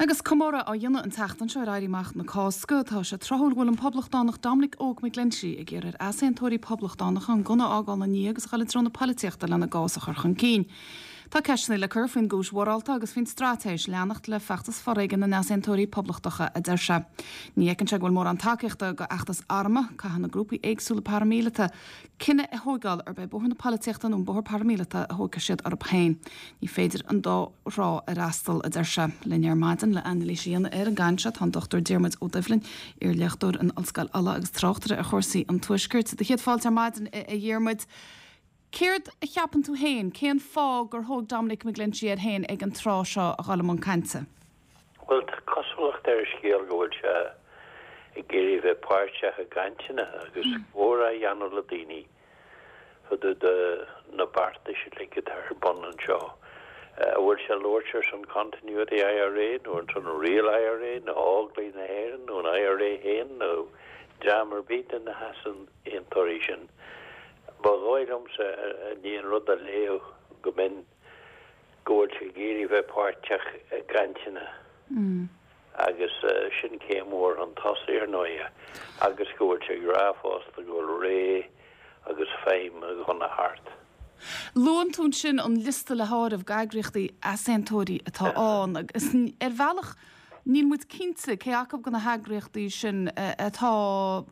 Agus comóradh á dhéanamh an tseachtain seo ar Éirí Amach na Cásca, tá sé tráthúil go bhfuil an poblachtánach Dominic Óg McGlinchey ag iarraidh ar easaontóirí poblachtánacha an gunna a fhágáil ina ndiaidh agus a dhul i dtreo na polaitíochta lena gcás a chur chun cinn. Tá ceisteanna le cur faoin gcúis mhorálta agus faoin straitéis leanacht le feachtas foréigin na n-easaontóirí poblachtacha, a deir sé. Ní fheiceann sé go bhfuil mórán tacaíochta do fheachtas armtha, caithfidh na grúpaí éagsúla paraimíleata cinneadh a thóigeáil arb é bóthar na polaitíochta nó an bóthar paraimíleata a thógfaidh siad orthu féin. Ní féidir an dá thrá a fhreastal, a deir sé. Linn ar maidin le anailís a dhéanamh ar an gcaint seo tá an Dr Diarmuid Ó Doibhlin, iarléachtóir in Ollscoil Uladh agus tráchtaire ar chúrsaí an Tuaiscirt. Do chéad fáilte ar maidin, a Dhiarmuid. Céard a cheapann tú féin, cén fáth gur thóg Dominic McGlinchey air féin ag an tráth seo a dhul i mbun cainte? Bhuel, tá cosúlacht ar an scéal go bhfuil sé ag iarraidh bheith páirteach i gcainteanna agus comhrá a dhéanamh le daoine fá dtaobh de na beartais uilig atá ar bun anseo. An bhfuil sé ag labhairt ar son Continuity IRA nó ar son Real IRA nó Óglaigh na hÉireann nó an IRA féin nó dream ar bith de na heasaontóirí sin? Ba dhóigh liomsa i ndiaidh an rud a léamh go mb'in go bhfuil sé ag iarraidh bheith páirteach i gcainteanna agus sin céim mhór chun tosaigh ar ndóighe agus go bhfuil sé ag rá fosta go bhfuil ré agus feidhm an ghunna thart. Luann tú ansin an liosta le háireamh d'eagraíochtaí easaontóirí atá ann agus ar bhealach Níl muid cinnte cé acu de na heagraíochtaí sin atá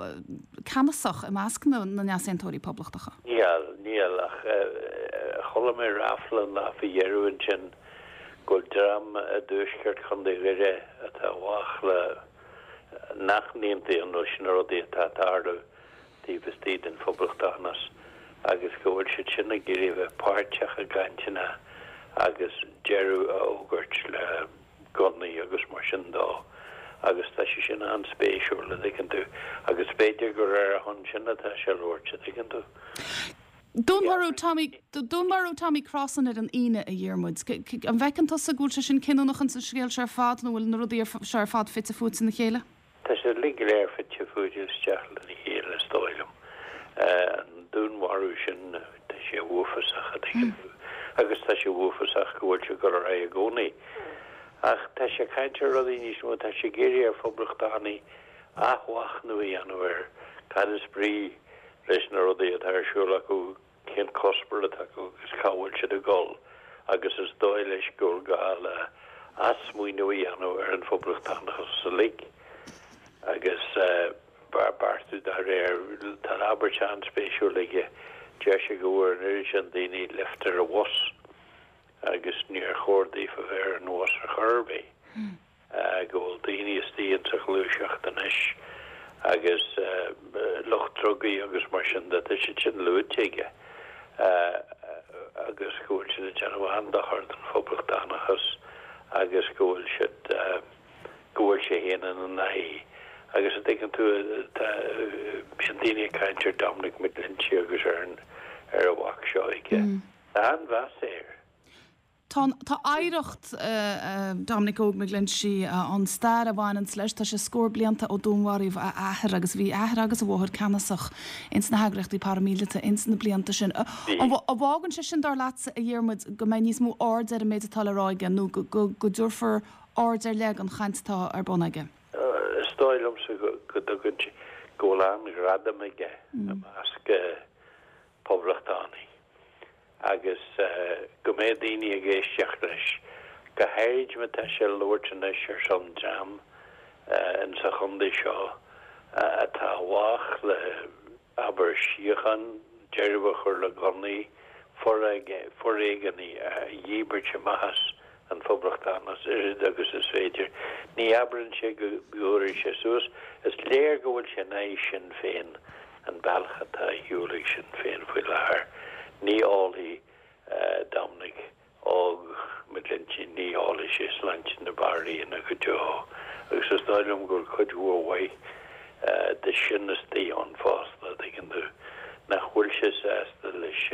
ceannasach i measc na n-easaontóirí poblachtacha. Níl, níl, ach chuala mé ráfla an lá faoi dheireadh ansin go bhfuil dream i dtuaisceart Chontae Dhoire atá i bhfách le, nach n-aontaíonn leis na rudaí atá ag tarlú taobh istigh den phoblachtánachas agus go bhfuil siad sin ag iarraidh a bheith páirteach i gcainteanna agus deireadh a fhógairt le gunnaí agus mar sin dó agus tá sé sin an-spéisiúil, a dtuigeann tú, agus b'fhéidir gur ar a shon sin atá sé ag labhairt, a dtuigeann tú. Dúnmharú Tommy, Dúnmharú Tommy Crossan ar an Aoine, a Dhiarmuid. An bhfeiceann tusa go bhfuil sé sin cinniúnach ins an scéal seo ar fad nó bhfuil na rudaí seo ar fad fite fuaite ina chéile? Tá siad uilig go léir fite fuaite isteach lena chéile, is dóigh liom. An dúnmharú sin, tá sé uafásach, a dtuigeann tú, agus tá sé uafásach go bhfuil sé ag dul ar aghaidh i gcónaí. Ach tá sé ag caint ar rudaí níos mó, tá sé ag iarraidh ar phoblachtánaigh athmhachnamh a dhéanamh ar cad is brí leis na rudaí atá ar siúl acu, cén cuspóir atá acu agus cá bhfuil siad ag dul agus is dóigh leis go bhfuil gá le athsmaoineamh a dhéanamh ar an phoblachtánachas uilig agus beartú dá réir. Tá abairt an-spéisiúil aige, deir sé go bhfuair an oiread sin daoine lift ar an bhus agus níor chóir daofa bheith ar an bhus ar chor ar bith. go bhfuil daoine istigh insa ghluaiseacht anois agus lucht drugaí agus mar sin de, tá siad sin luaite aige, agus go bhfuil siad ag déanamh an-dochar don phoblachtánachas agus go bhfuil siad, go bhfuil sé féin ina n-aghaidh. Agus a dtuigeann tú, tá, bíonn daoine ag caint ar Dominic McGlinchey agus ar an, ar an mhac seo aige. Tá an-mheas air. Tá, tá oidhreacht Dominic Óg McGlinchey, an stair a bhaineanns leis, tá sé scór blianta ó dúnmharaíodh a athair agus bhí a athair agus a mháthair ceannasach ins na heagraíochtaí paraimíleata ins na blianta sin. An bhfágann sé sin, dar leatsa, a Dhiarmuid, go mbeidh níos mó aird ar an méid atá le rá aige nó go dtabharfar aird ar leith don chaint atá ar bun aige? Is dóigh liomsa go dtugann sé, go bhfuil an-ghradam aige i measc poblachtánaigh. agus go mbeidh daoine ag éisteacht leis, go háirid má tá sé ag labhairt anois ar son dream in sa chontae seo atá i bhfách le, abair, síocháin, deireadh a chur le gunnaí, foréigean a dhíbirt amach as an phoblachtánachas oiread agus is féidir. Ní abrann sé go dtabharfaidh sé suas. Is léir go bhfuil sé in aghaidh Sinn Féin, an bealach atá ar shiúl ag Sinn Féin faoi láthair. Ní ólfaidh Dominic Óg McGlinchey, ní ólfaidh sé sláinte na banríona go deo. Agus is dóigh liom go bhfuil cuid mhór mhaith de sin istigh ann fosta, a dtuigeann tú, nach bhfuil sé sásta leis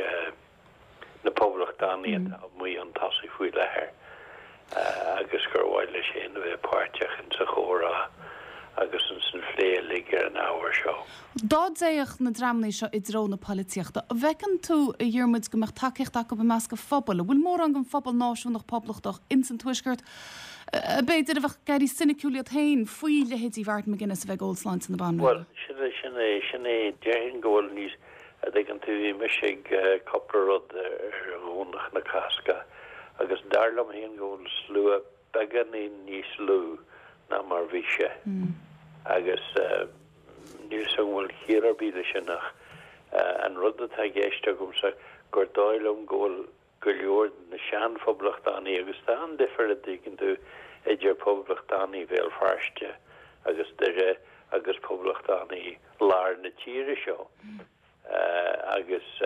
na poblachtánaigh atá amuigh chun tosaigh faoi láthair agus gur mhaith leis féin a bheith páirteach insa chomhrá. Agus ansan phlé uilig ar an ábhar seo. Dá dtéadh na dreamanna seo i dtreo na poilitíochta, an bhfeiceann tú, a Dhiarmuid, go mbeadh tacaíocht acu i measc an phobail? An bhfuil mórán den phobal náisiúnach poblachtach ins an Tuaisceart, b'fhéidir, a bheadh ag éirí soiniciúil iad féin faoi leithéidí Mhartin McGuinness a bheith ag ól sláinte na Banríona? Bhuel, sin é, sin é, sin é. Déarfainn go bhfuil níos, a dtuigeann tú, bhí mise ag cúpla rud ar Dhomhnach na Cásca agus dar liom féin go bhfuil slua beagáinín níos lú ná mar bhí sé agus níl 's agam an bhfuil ciall ar bith leis sin ach an rud atá i gceist agamsa gur dóigh liom go bhfuil go leor de na sean-phoblachtánaigh agus tá an-difear a dtuigeann tú idir poblachtánaigh Bhéal Feirste agus Doire agus poblachtánaigh lár na tíre seo agus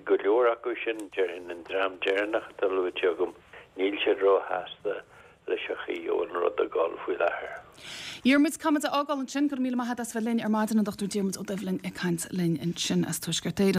Go leor acu sin, déarfainn, an dream deireanach atá luaite agam, níl siad róshásta leis an chaoi a bhfuil an rud ag dul faoi láthair. Diarmuid, caithfimid a fhágáil ansin. Go raibh míle maith agat as bheith linn ar maidin, an Dr Diarmuid Ó Doibhlin ag caint linn ansin as Tuaisceart Éireann.